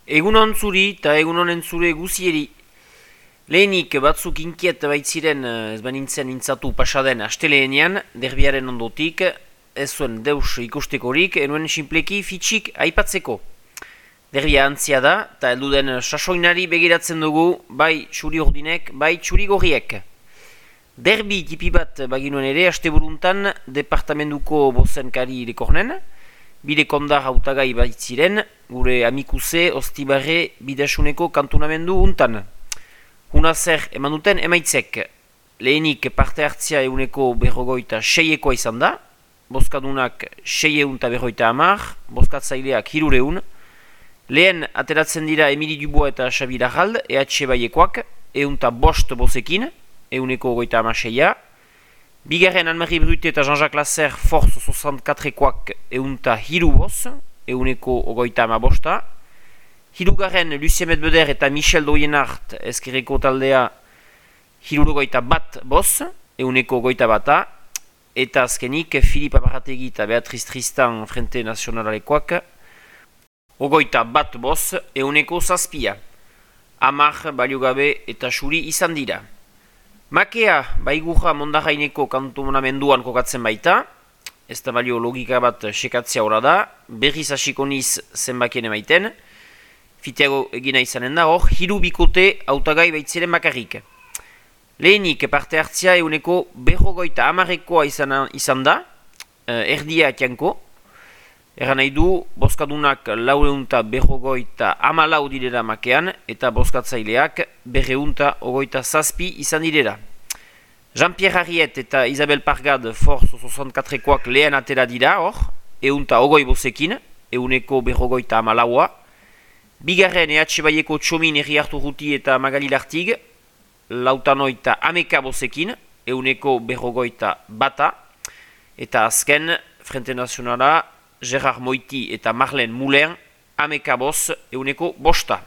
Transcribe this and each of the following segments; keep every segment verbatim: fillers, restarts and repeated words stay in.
Egunon zuri eta egunonen zure guzieri. Lehenik batzuk inkiet baitziren ez banintzen intzatu pasaden asteleenean, derbiaren ondotik, ez zuen deus ikustekorik, enuen sinpleki fitxik aipatzeko. Derbia antzia da, eta helduden sasoinari begiratzen dugu, bai txuri ordinek, bai txuri gorriek. Derbi tipi bat baginuen ere, asteburuntan, departamentuko bozenkari lekornen, bide kondar hautagai baitziren, gure amikuse Ostibarre bidasuneko kantonamendu untan. Huna zer eman duten emaitzek, lehenik parte hartzia eguneko berrogoita seiekoa izan da, bozkadunak seieun eta berroita hamar, bozkatzaileak hirureun, lehen ateratzen dira Emili Dubois eta Xabi Larrald, E H baiekoak, eun eta bost bozekin, euneko goita hamaseia, bigarren Anne-Marie Brute eta Jean-Jacques Lasser Force soixante-quatrekoak eun eta hiru boz, euneko goita hamabosta, hirugarren Lucien Medbeder eta Michel Doyenart ezkerreko taldea hirurogoita bat boz, euneko goita bata, eta azkenik Philippe Aparategi eta Beatriz Tristan Frente Nazionalekoak ogoita bat boz, euneko zazpia. Amar, baliogabe eta xuri izan dira. Makea baigurra Mondarraineko kantonamenduan kokatzen baita, ez da balio logika bat sekatzea hori da, berriz hasiko niz zenbakien emaiten, fiteago egina izanen da hor, hiru bikote hautagai baitziren bakarrik. Lehenik parte hartzia euneko berrogoita hamarrekoa izan, izan da, erdia atianko, erran nahi du, bozkadunak laureunta berrogoita hamalau direra makean, eta bozkatzaileak berreunta ogoita zazpi izan direra. Jean-Pierre Harriet eta Isabel Pargad Force soixante-quatrekoak lehen atera dira hor, eunta ogoi bozekin, euneko berrogoita hamalaua. Bigarren E H baieko Txomin Herri Hartu Ruti eta Magali Lartig, lautanoita ameka bozekin, euneko berrogoita bata. Eta azken, Frente Nazionala, Gerard Moiti eta Marlene Moulin, ameka boz, euneko bosta.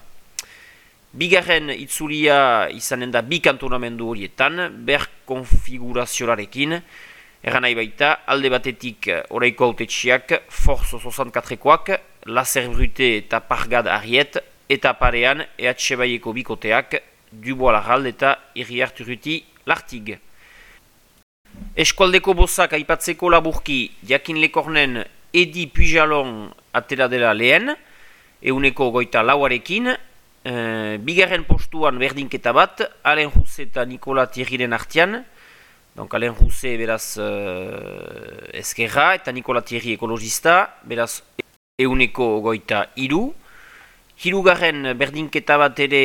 Bigarren itzulia izanen da bi kantonamendu horietan, ber konfigurazioarekin, erran nahi baita, alde batetik oraiko autetxiak, Force soixante-quatrekoak, Lasser Brute eta Pargad Harriet, eta parean E H baieko bikoteak, Dubois Larrald eta Herri Hartu Ruti Lartig. Eskualdeko bozak aipatzeko laburki, jakin lekornen Edi Pujalon atera dela lehen, euneko goita lauarekin, e, bigarren postuan berdinketa bat, Alain Rousse eta Nikola Thierryren artian, donc Alain Rousse beraz uh, eskerra eta Nikola Thierry ekologista, beraz euneko goita iru, hirugarren berdinketa bat ere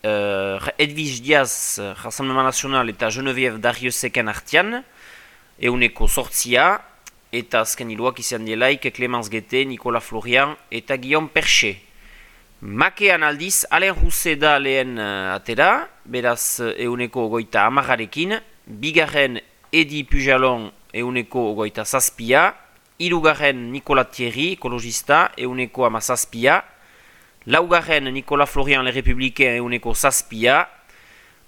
uh, Edwige Diaz, Rassemblement National eta Geneviève Dariusseken artian, euneko sortzia, eta azken hiluak izan dielaik Clémence Guette, Nicolas Florian eta Guillaume Perche. Makean aldiz, Alain Rousse da lehen uh, atera, beraz euneko goita amagarekin, bigarren Edi Pujalon euneko goita zazpia, hirugarren Nicolas Thierry, ekologista, euneko amazazpia, laugarren Nicolas Florian Le Républicain euneko zazpia,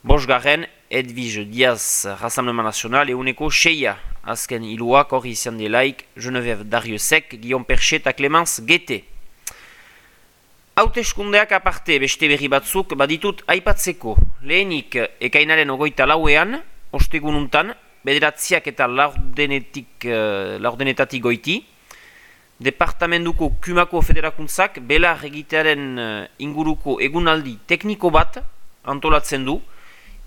bosgarren Edwige Diaz, Rassemblement National euneko seia. Azken hiluak hori izan delaik Geneviève Dariussek, Guillaume Perche eta Clémence Guette. Hauteskundeak aparte beste berri batzuk baditut aipatzeko. Lehenik ekainaren ogoita lauean, ostegununtan, bederatziak eta laurdenetik, uh, laurdenetatik goiti, departamentuko Kumako Federakuntzak belar egitearen uh, inguruko egunaldi tekniko bat antolatzen du,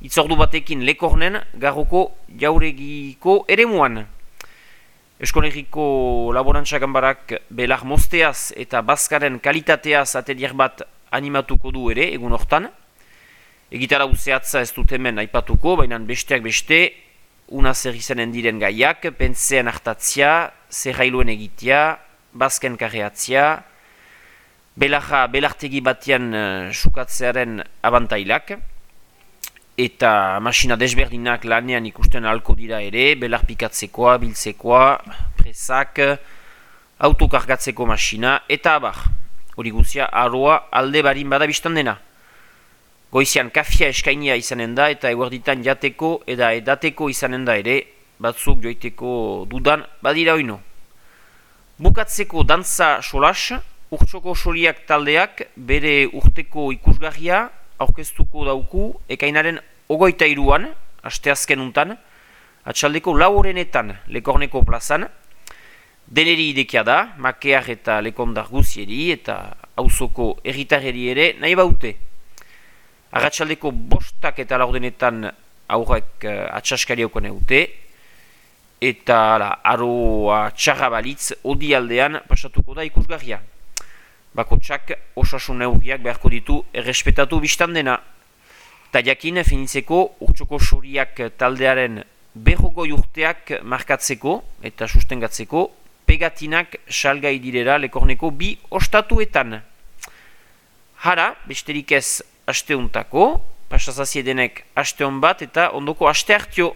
itzordu batekin lekornen garroko jauregiko eremuan. Eskolegiko laborantza ganbarak belar mosteaz eta bazkaren kalitateaz atelier bat animatuko du ere egun hortan. Egitara uzeatza ez dut hemen aipatuko, baina besteak beste, una zer izanen diren gaiak, pentsean hartatzia, zerrailuen egitea, bazken karreatzia, belarra belartegi batean uh, sukatzearen abantailak, eta masina desberdinak lanean ikusten ahalko dira ere, belar pikatzekoa, biltzekoa, presak, autokargatzeko masina, eta abar. Hori guzia, aroa alde barin bada biztan dena. Goizian kafia eskainia izanen da, eta eguerditan jateko eta edateko izanen da ere, batzuk joiteko dudan badira oino. Bukatzeko dantza solas, Urtsoko Soriak taldeak bere urteko ikusgarria aurkeztuko dauku ekainaren ogoita iruan, asteazken untan, atxaldeko lau horrenetan Lekorneko plazan, deneri idekia da, makear eta lekondar guzieri eta auzoko erritarreri ere nahi baute. Arratxaldeko bostak eta laurdenetan aurrek uh, atxaskari haukon eute, eta la, aroa txarra balitz odi aldean pasatuko da ikusgarria. Bakotsak osasun neurriak beharko ditu errespetatu biztan dena. Ta jakin finitzeko Urtsoko Soriak taldearen berrogoi urteak markatzeko eta sustengatzeko pegatinak salgai direra Lekorneko bi ostatuetan. Hara, besterik ez asteuntako, pasazaziedenek asteon bat eta ondoko aste hartio.